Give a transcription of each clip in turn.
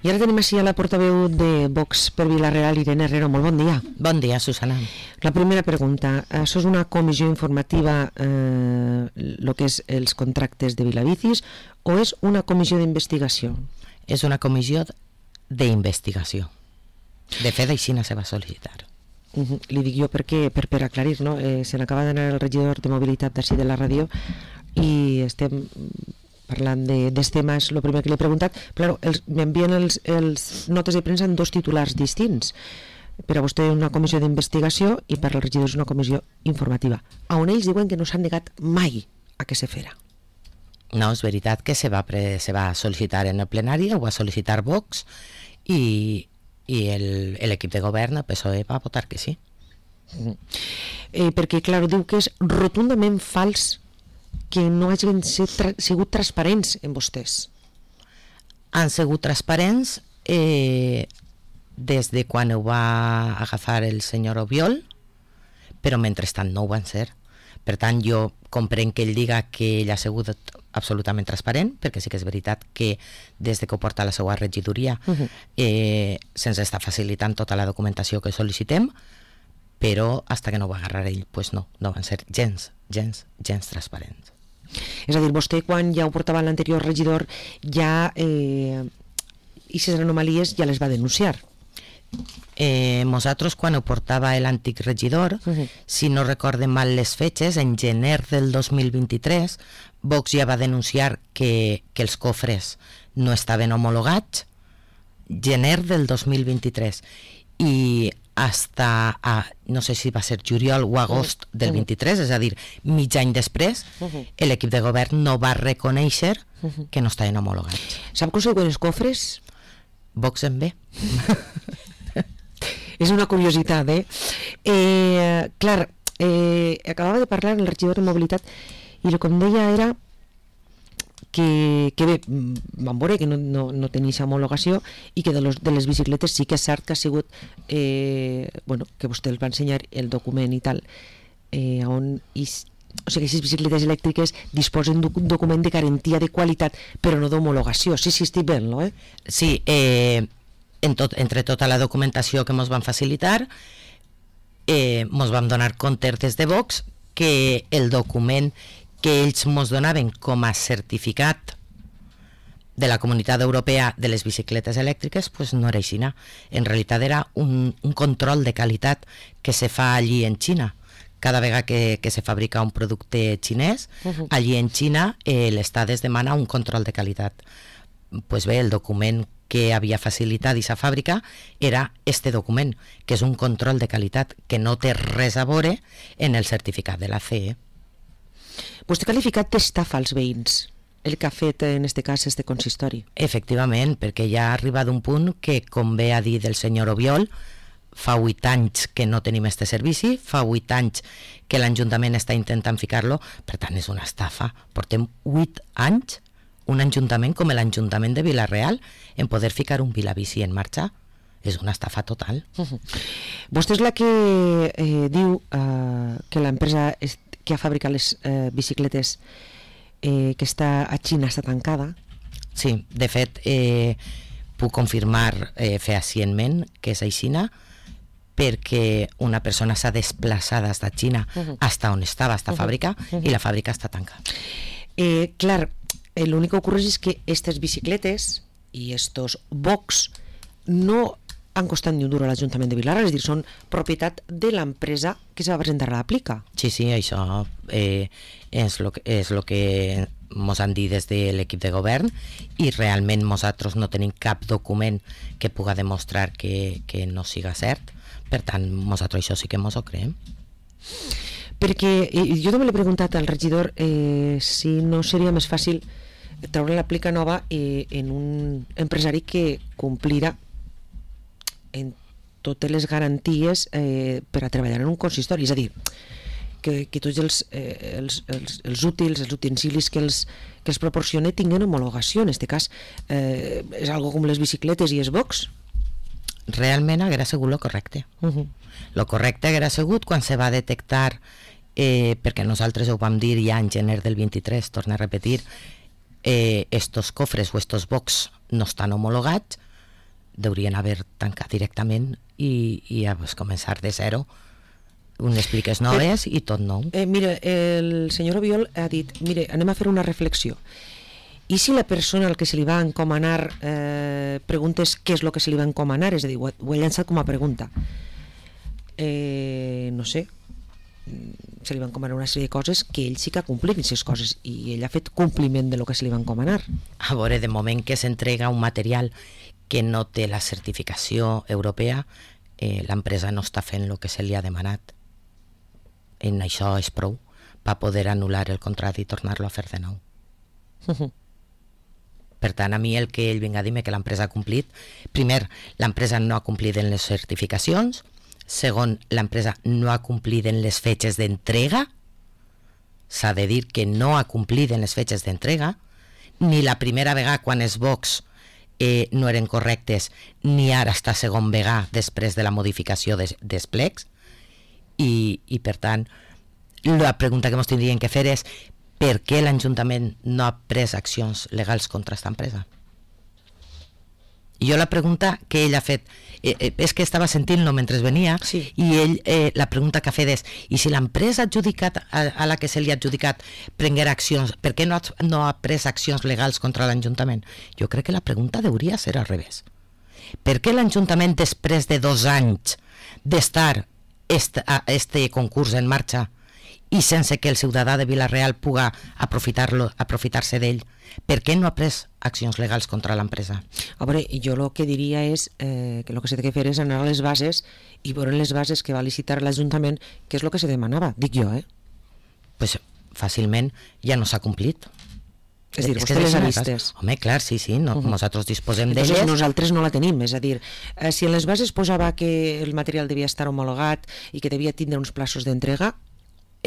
I ara tenim així a la portaveu de Vox per Vila-real, Irene Herrero. Molt bon dia. Bon dia, Susana. La primera pregunta. Això és una comissió informativa, el que és els contractes de Vilabicis, o és una comissió d'investigació? És una comissió d'investigació. De fet, així no se va sol·licitar. Li dic jo perquè, per aclarir, no? Se n'acaba d'anar el regidor de mobilitat d'ací de la ràdio i estem parlant dels temes, el primer que li he preguntat. Claro, m'envien els notes de premsa en dos titulars distints. Per a vostè una comissió d'investigació i per al regidor és una comissió informativa, on ells diuen que no s'han negat mai a que se fera. No, és veritat que se va sol·licitar en el plenari, ho va sol·licitar Vox i l'equip de govern, el PSOE, va votar que sí. Perquè, clar, diu que és rotundament fals que no hagin sigut transparents en vostès. Han sigut transparents des de quan ho va agafar el senyor Obiol, però mentrestant no ho van ser. Per tant, jo comprenc que ell diga que ell ha sigut absolutament transparent, perquè sí que és veritat que des de que ho porta a la seva regidoria se'ns està facilitant tota la documentació que sol·licitem, però fins que no ho va agarrar ell, pues no van ser gens transparents. És a dir, vostè quan ja ho portava l'anterior regidor ja aquestes anomalies ja les va denunciar. Nosaltres quan ho portava l'antic regidor, si no recordem mal les fetges, en gener del 2023 Vox ja va denunciar que els cofres no estaven homologats, gener del 2023, i hasta no sé si va ser juliol o agost del 23, és a dir, mig any després, l'equip de govern no va reconèixer que no estaven homologats. Sap com se diuen els cofres? Vox en bé. És una curiositat, clar, acabava de parlar el regidor de mobilitat i el que em deia era que bé, vam veure que no tenia aquesta homologació i que de les bicicletes sí que és cert que ha sigut que vostè els va ensenyar el document i tal, o sigui, aquestes bicicletes elèctriques disposen d'un document de garantia de qualitat però no d'homologació. Sí, estic bé, no? Sí, entre tota la documentació que ens van facilitar ens vam donar compte des de Vox que el document que ells ens donaven com a certificat de la Comunitat Europea de les bicicletes elèctriques pues no era així. En realitat era un control de qualitat que se fa allí en Xina. Cada vegada que se fabrica un producte xinès, allí en Xina l'Estat es demana un control de qualitat. Pues bé, el document que havia facilitat aquesta fàbrica era este document, que és un control de qualitat que no té res a veure en el certificat de la CE. Vostè ha qualificat d'estafa als veïns el que ha fet en este cas este consistori. Efectivament, perquè ja ha arribat un punt que, com bé ha dit el senyor Obiol, fa 8 anys que no tenim este servici, fa 8 anys que l'Ajuntament està intentant ficar-lo, per tant és una estafa. Portem 8 anys, un ajuntament com l'Ajuntament de Vila-real, en poder ficar un Vilabici en marxa. És una estafa total. Vostè és la que diu que l'empresa que ha fabricat les bicicletes que està a Xina està tancada. Sí, de fet puc confirmar fehacientment que és aixina, perquè una persona s'ha desplaçat des de Xina fins on estava esta fàbrica i la fàbrica està tancada. Clar, l'únic que ocorre és que aquestes bicicletes i estos Vox no han costat ni un duro a l'Ajuntament de Vilar, és a dir, són propietat de l'empresa que se va presentar a l'aplica. Sí, això és el que ens han dit des de l'equip de govern i realment nosaltres no tenim cap document que pugui demostrar que no siga cert. Per tant, nosaltres això sí que ens ho creiem. Perquè jo també l'he preguntat al regidor si no seria més fàcil treure l'aplica nova en un empresari que complirà en totes les garanties per a treballar en un consistori, és a dir, que tots els útils, els utensilis que els proporciona tinguen homologació. En aquest cas és algo com les bicicletes i els Vox. Realment haguera sigut lo correcte. Lo correcte haguera sigut quan se va detectar, perquè nosaltres ho vam dir ja en gener del 23, torno a repetir, estos cofres o estos Vox no estan homologats, deurien haver tancat directament i ja pues, començar de zero, unes pliques noves i tot nou. Mira, el senyor Obiol ha dit, mire, anem a fer una reflexió. I si la persona al que se li va encomanar preguntes què és el que se li va encomanar, és a dir, ho he llançat com a pregunta. No sé, se li va encomanar una sèrie de coses que ell sí que ha complit aquestes coses i ell ha fet compliment de lo que se li va encomanar. A veure, de moment que s'entrega un material que no té la certificació europea, l'empresa no està fent el que se li ha demanat. En això és prou per poder anul·lar el contracte i tornar-lo a fer de nou. Per tant, a mi el que ell vinga a dir-me que l'empresa ha complit, primer, l'empresa no ha complit en les certificacions, segon, l'empresa no ha complit en les fetges d'entrega, s'ha de dir que no ha complit en les fetges d'entrega, ni la primera vegada quan els box no eren correctes, ni ara està segon vegada després de la modificació dels plecs, i per tant, la pregunta que ens tindrien que fer és per què l'Ajuntament no ha pres accions legals contra aquesta empresa? I jo la pregunta que ell ha fet, és que estava sentint-lo mentre venia, sí. I ell, la pregunta que ha fet és, i si l'empresa adjudicat a la que se li ha adjudicat prenguera accions, per què no ha pres accions legals contra l'Ajuntament? Jo crec que la pregunta hauria ser al revés. Per què l'Ajuntament, després de 2 anys d'estar este concurs en marxa i sense que el ciutadà de Vila-real puga aprofitar-se d'ell, per què no ha pres accions legals contra l'empresa? A veure, jo el que diria és que el que s'ha de fer és anar a les bases i veure les bases que va licitar l'Ajuntament, que és el que se demanava, dic jo, Pues fàcilment ja no s'ha complit. És a dir, vostè les ha vistes. Home, clar, sí, no, nosaltres disposem d'elles. Entonces nosaltres no la tenim, és a dir, si en les bases posava que el material devia estar homologat i que devia tindre uns plaços d'entrega,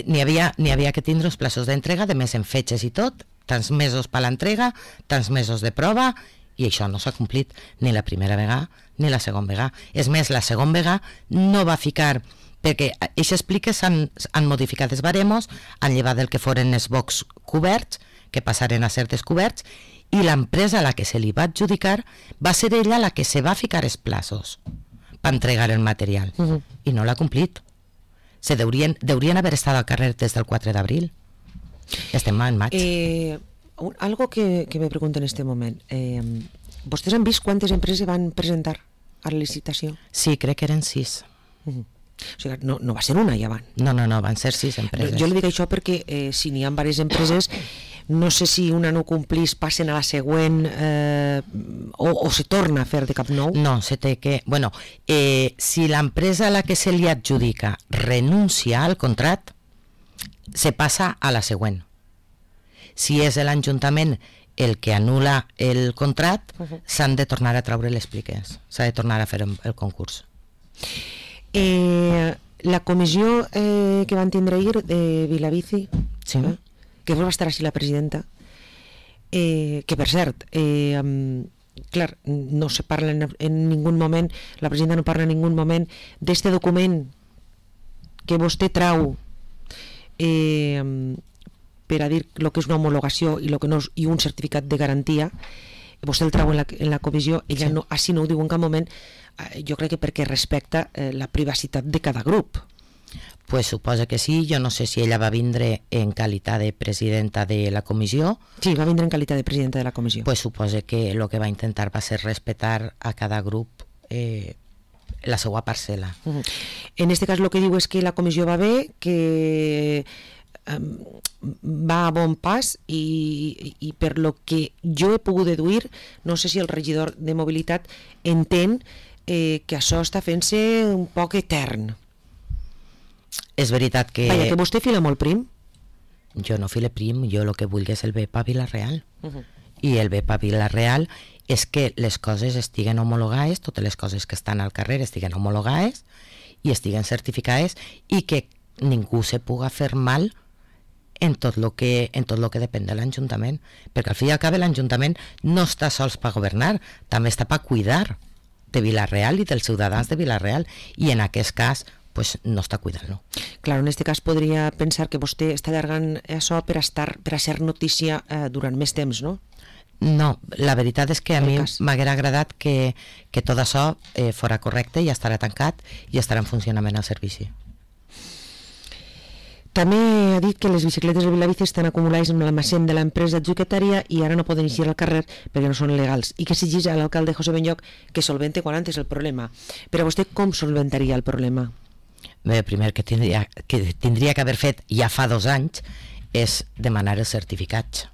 n'hi havia que tindre uns plaços d'entrega, de més en fetges i tot, tants mesos per l'entrega, tants mesos de prova, i això no s'ha complit ni la primera vegada ni la segona vegada. És més, la segona vegada no va ficar, perquè aquestes pliques han modificat els baremos, han llevat el que foren els box coberts, que passaren a ser descoberts, i l'empresa a la que se li va adjudicar va ser ella la que se va ficar els plaços per entregar el material, i no l'ha complit. Deurien haver estat al carrer des del 4 d'abril. Estem en maig. Algo que me pregunto en este moment. ¿Vostès han vist quantes empreses van presentar a la licitació? Sí, crec que eren 6. O sigui, no va ser una ja van. No, van ser 6 empreses. Jo li dic això perquè si n'hi ha diverses empreses, no sé si una no complís, passen a la següent o se torna a fer de cap nou. No, se té que... Bueno, si l'empresa a la que se li adjudica renuncia al contracte, se passa a la següent. Si és l'Ajuntament el que anul·la el contracte, s'han de tornar a treure les pliques, s'ha de tornar a fer el concurs. La comissió que van tindre ahir de Vilabici, sí. Que va estar així la presidenta, que per cert, clar, no se parla en ningú moment, la presidenta no parla en ningú moment d'este document que vostè trau per a dir el que és una homologació i, lo que no, i un certificat de garantia. Vostè el trau en la comissió, ella no, així no ho diu en cap moment, jo crec que perquè respecta la privacitat de cada grup. Pues suposa que sí, jo no sé si ella va vindre en qualitat de presidenta de la comissió. Sí, va vindre en qualitat de presidenta de la comissió. Pues suposa que el que va intentar va ser respetar a cada grup la seva parcel·la. En este cas el que diu és que la comissió va bé, que va a bon pas i per lo que jo he pogut deduir, no sé si el regidor de mobilitat entén que això està fent-se un poc etern. És veritat que... Vaja, que vostè fila molt prim. Jo no file prim, jo el que vull és el bé per Vila-real. I el bé per Vila-real és que les coses estiguen homologades, totes les coses que estan al carrer estiguen homologades i estiguen certificades i que ningú se puga fer mal en tot lo que depèn de l'Ajuntament, perquè al fi i al cap l'Ajuntament no està sols per governar, també està per cuidar de Vila-real i dels ciutadans de Vila-real, i en aquest cas pues no està cuidant-lo. Claro, en este cas podria pensar que vostè està allargant això per a ser notícia durant més temps, no? No, la veritat és que a El mi cas. m'haguera agradat que tot això fora correcte i estarà tancat i estarà en funcionament al servici. També ha dit que les bicicletes de Vilabici estan acumulades en l'almacén de l'empresa adjudicatària i ara no poden eixir al carrer perquè no són legals, i que exigeix a l'alcalde José Benlloc que solvente quan antes el problema. Però vostè com solventaria el problema? Bé, primer que tindria que haver fet ja fa 2 anys és demanar els certificats.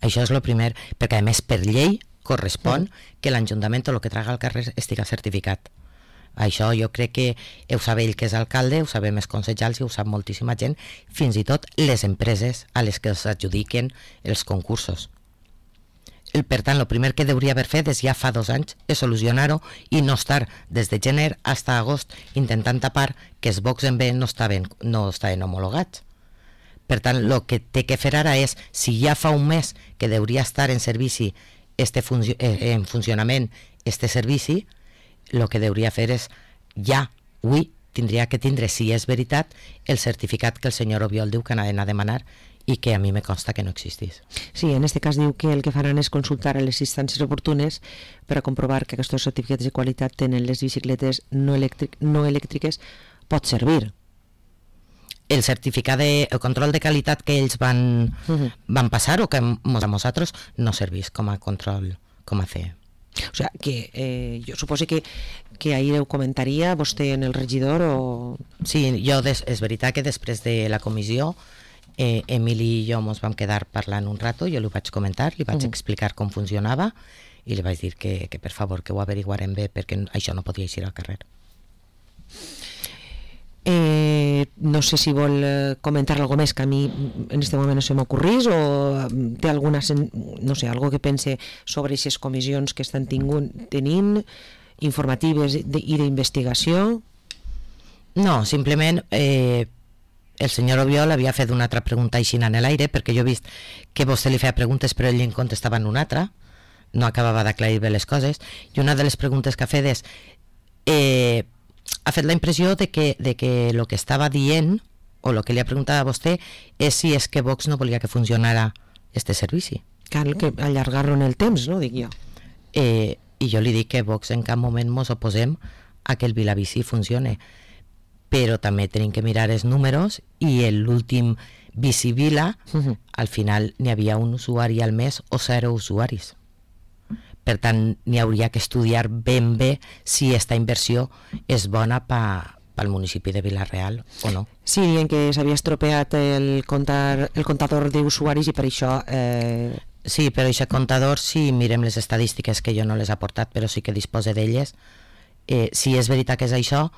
Això és el primer, perquè a més per llei correspon que l'Ajuntament o el que traga al carrer estiga certificat. Això jo crec que ho sap ell, que és alcalde, ho sabem els consellers i ho sap moltíssima gent, fins i tot les empreses a les que s'adjudiquen els concursos. Per tant, el primer que hauria haver fet és ja fa 2 anys és solucionar-ho i no estar des de gener fins a agost intentant tapar que els bocs en B no estaven homologats. Per tant, el que té que fer ara és, si ja fa un mes que hauria estar en servici en funcionament este servici, el que hauria fer és ja, avui, tindria que tindre, si és veritat, el certificat que el senyor Obiol diu que ha d'anar a demanar i que a mi me consta que no existís. Sí, en este cas diu que el que faran és consultar a les instàncies oportunes per a comprovar que aquests certificats de qualitat tenen les bicicletes no elèctriques pot servir. El certificat el control de qualitat que ells van passar o que a nosaltres no servís com a control, com a CE. O sea, que jo suposo que ahir ho comentaria vostè en el regidor o... Sí, és veritat que després de la comissió Emili i jo ens vam quedar parlant un rato, jo li vaig comentar, li vaig explicar com funcionava i li vaig dir que per favor que ho averiguarem bé perquè això no podia eixir al carrer. No sé si vol comentar alguna més que a mi en este moment no se m'ocorrís o té alguna, no sé, algo que pense sobre aquestes comissions que estan tenint, informatives i d'investigació. No, simplement el senyor Obiol havia fet una altra pregunta així en l'aire, perquè jo he vist que vostè li feia preguntes però ell en contestava en una altra, no acabava d'aclarir bé les coses, i una de les preguntes que ha fet és ha fet la impressió de que el que estava dient o el que li ha preguntat a vostè és si és que Vox no volia que funcionara este servici. Cal que allargar-lo en el temps, no? Dic jo. I jo li dic que Vox en cap moment mos oposem a que el Vilabici funcione, però també tenim que mirar els números i l'últim Bicivila al final n'hi havia un usuari al mes o 0 usuaris. Per tant, n'hi hauria que estudiar ben bé si aquesta inversió és bona pel municipi de Vila-real o no. Sí, dient que s'havia estropeat el comptador d'usuaris i per això... Sí, però aquest comptador, si mirem les estadístiques que jo no les he aportat, però sí que dispose d'elles, si és veritat que és això,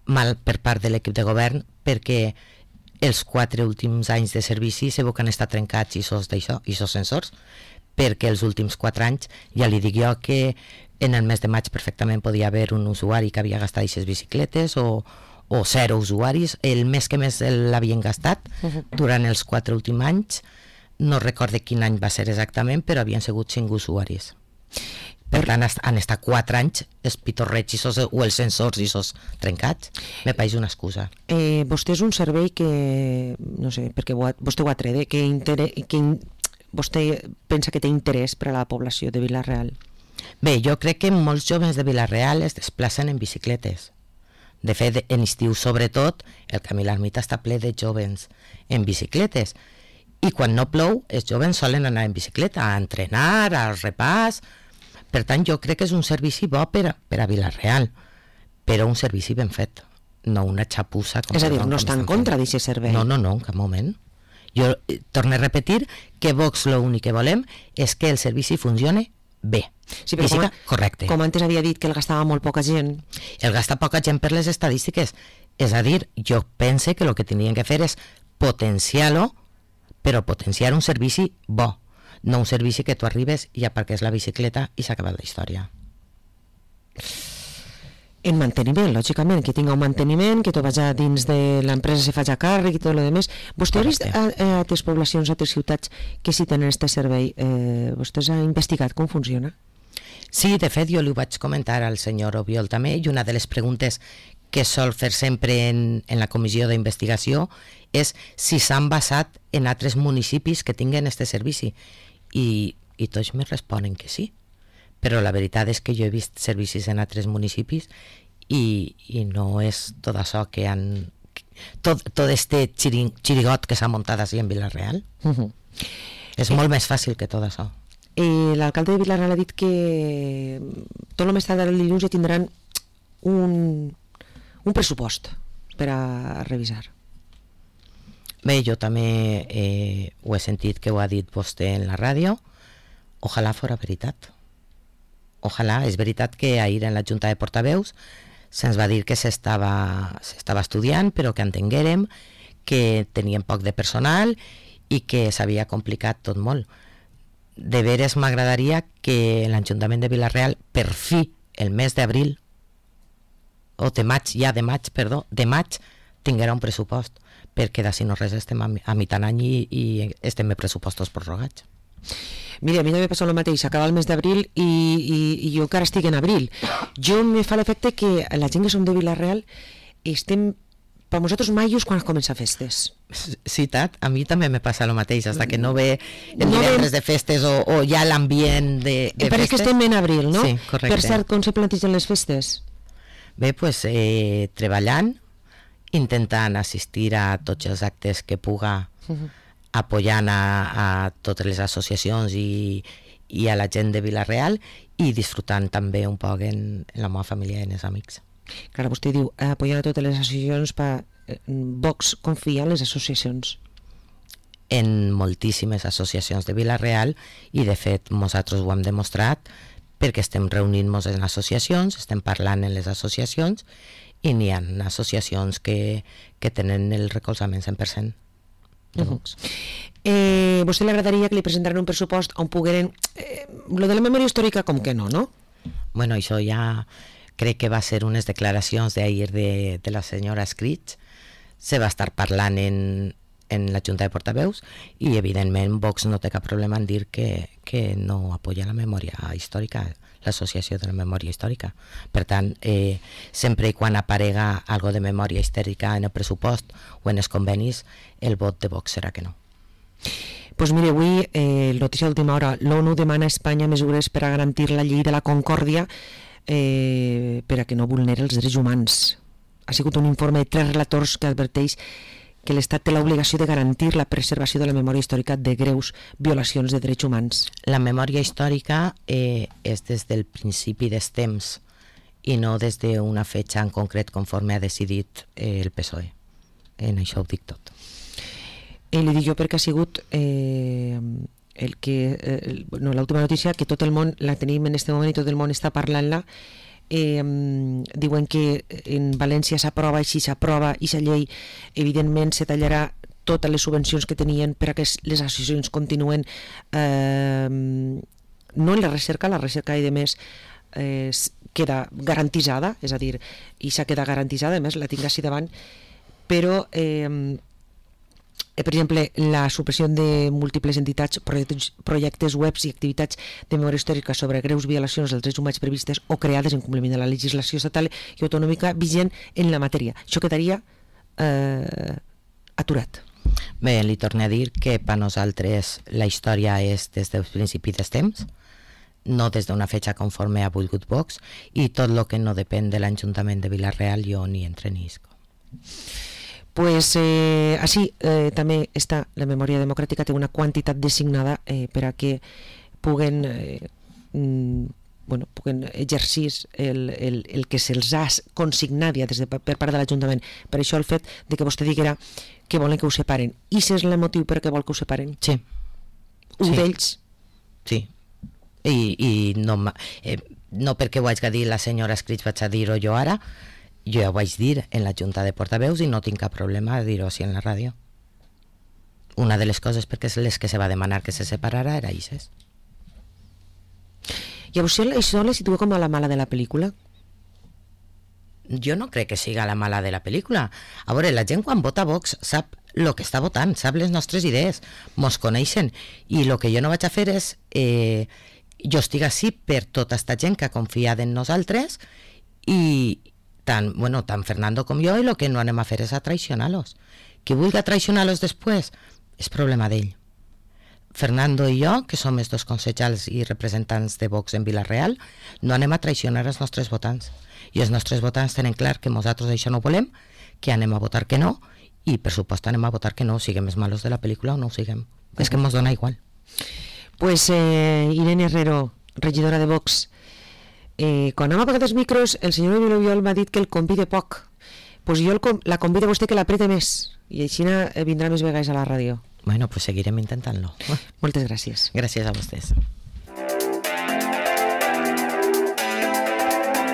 mal per part de l'equip de govern, perquè els 4 últims anys de servici segur que han estat trencats i sos sensors, perquè els últims 4 anys ja li dic jo que en el mes de maig perfectament podia haver un usuari que havia gastat aquestes bicicletes o 0 usuaris. El mes que més l'havien gastat durant els 4 últims anys, no recorde quin any va ser exactament, però havien sigut 5 usuaris. Per tant, han estat 4 anys els pitorrets o els sensors i sos trencats. Me pareix una excusa. Vostè és un servei que, no sé, perquè vostè ho ha tret, que vostè pensa que té interès per a la població de Vila-real? Bé, jo crec que molts joves de Vila-real es desplacen en bicicletes. De fet, en estiu sobretot, el camí a l'ermita està ple de joves en bicicletes. I quan no plou, els joves solen anar en bicicleta a entrenar, al repàs. Per tant, jo crec que és un servici bo per a Vila-real, però un servici ben fet, no una xapussa. És a dir, no està en contra d'aquest servei? No, en cap moment. Jo torno a repetir que Vox l'únic que volem és que el servici funcione bé. Sí, però correcte. Com antes havia dit que el gastava molt poca gent. El gasta poca gent per les estadístiques. És a dir, jo pense que el que tenien que fer és potenciar-lo, però potenciar un servici bo, no un servici que tu arribes i aparques la bicicleta i s'ha acabat la història. En manteniment, lògicament, que tinga un manteniment, que tot vaja dins de l'empresa se faci a càrrec i tot el demés. Vostè ha vist a altres poblacions, a altres ciutats que sí tenen aquest servei? Vostè ha investigat com funciona? Sí, de fet, jo li ho vaig comentar al senyor Obiol també, i una de les preguntes que sol fer sempre en la comissió d'investigació és si s'han basat en altres municipis que tinguen aquest servici. I i tots me responen que sí. Però la veritat és que jo he vist servicis en altres municipis i no és tot això que han... Tot este xirigot que s'ha muntat així en Vila-real. És molt més fàcil que tot això. L'alcalde de Vila-real ha dit que tot el més tard el dilluns ja tindran un pressupost per a revisar. Bé, jo també ho he sentit que ho ha dit vostè en la ràdio. Ojalà fora veritat. Ojalà. És veritat que ahir en la Junta de Portaveus se'ns va dir que s'estava estudiant, però que entenguérem que tenien poc de personal i que s'havia complicat tot molt. De veres m'agradaria que l'Ajuntament de Vila-real, per fi, el mes d'abril, o de maig, tinguera un pressupost, perquè d'ací no res estem a mitjan any i estem en pressupostos prorrogats. Mira, a mi també passa el mateix, acaba el mes d'abril i jo encara estic en abril. Jo me fa l'efecte que la gent que som de Vila-real estem per nosaltres maios quan comença festes. Sí, Tat, a mi també me passa el mateix, fins que no ve el divendres de festes o ja l'ambient de festes. Pareix que estem en abril, no? Sí, correcte. Per cert, com se plantegen les festes? Bé, doncs treballant, intentant assistir a tots els actes que puga, apoyant a totes les associacions i a la gent de Vila-real i disfrutant també un poc en la meva família i en els amics. Clar, vostè diu, apoyant a totes les associacions, Vox confia en les associacions. En moltíssimes associacions de Vila-real i de fet nosaltres ho hem demostrat perquè estem reunint-nos en associacions, estem parlant en les associacions i n'hi ha associacions que tenen el recolzament 100%. Vostè li agradaria que li presentaran un pressupost on pogueren... Lo de la memòria històrica com que no? Bueno, això ja crec que va ser unes declaracions d'ahir de la senyora Escrits. Se va estar parlant en la Junta de Portaveus i evidentment Vox no té cap problema en dir que no apoya la memòria històrica, l'associació de la memòria històrica. Per tant, sempre i quan aparega algo de memòria històrica en el pressupost o en els convenis, el vot de Vox serà que no. Doncs mire, avui, notícia d'última hora, l'ONU demana a Espanya mesures per a garantir la llei de la concòrdia per a que no vulneri els drets humans. Ha sigut un informe de 3 relators que adverteix que l'Estat té l'obligació de garantir la preservació de la memòria històrica de greus violacions de drets humans. La memòria històrica és des del principi dels temps i no des d'una fetge en concret conforme ha decidit el PSOE. En això ho dic tot. Li dic jo perquè ha sigut l'última notícia que tot el món la tenim en aquest moment i tot el món està parlant-la. Diuen que en València s'aprova i si s'aprova aquesta llei evidentment se tallarà totes les subvencions que tenien per a que les associacions continuen no en la recerca i de més queda garantitzada, és a dir, i s'ha quedat garantitzada, a més la tinc així davant, però per exemple, la supressió de múltiples entitats, projectes webs i activitats de memòria històrica sobre greus violacions dels drets humans previstes o creades en compliment de la legislació estatal i autonòmica vigent en la matèria. Això quedaria aturat. Bé, li torno a dir que per nosaltres la història és des del principi dels temps, no des d'una fetge conforme ha volgut Vox, i tot el que no depèn de l'Ajuntament de Vila-real jo ni entre ni isco. Pues així també està la memòria democràtica, té una quantitat designada per a que puguen exercir el que se'ls ha consignat ja per part de l'Ajuntament. Per això el fet de que vostè diguera que volen que ho separen. I si és el motiu per què vol que ho separen? Sí. Un d'ells? Sí. I no perquè ho haig de dir la senyora Escrits, vaig a dir-ho jo ara. Jo ja ho vaig dir en la Junta de Portaveus i no tinc cap problema de dir-ho així en la ràdio. Una de les coses perquè les que se va demanar que se separara era això. I a vostè això la situa com a la mala de la pel·lícula? Jo no crec que siga la mala de la pel·lícula. A veure, la gent quan vota Vox sap el que està votant, sap les nostres idees, mos coneixen, i el que jo no vaig a fer és jo estic així per tota aquesta gent que ha confiat en nosaltres i tant Fernando com jo, i el que no anem a fer és a traicionar-los. Qui vulgui traicionar-los després és problema d'ell. Fernando i jo, que som els dos consellers i representants de Vox en Vila-real, no anem a traicionar els nostres votants. I els nostres votants tenen clar que nosaltres això no volem, que anem a votar que no, i per supost anem a votar que no, siguem els malos de la pel·lícula o no ho siguem. És que ens dona igual. Pues Irene Herrero, regidora de Vox, quan hem apagat els micros, el senyor Emilio Viol m'ha dit que el convide poc. Pues jo la convido a vostè que l'aprete més, i així vindrà més vegades a la ràdio. Bueno, pues seguirem intentant-lo. Moltes gràcies. Gràcies a vostès.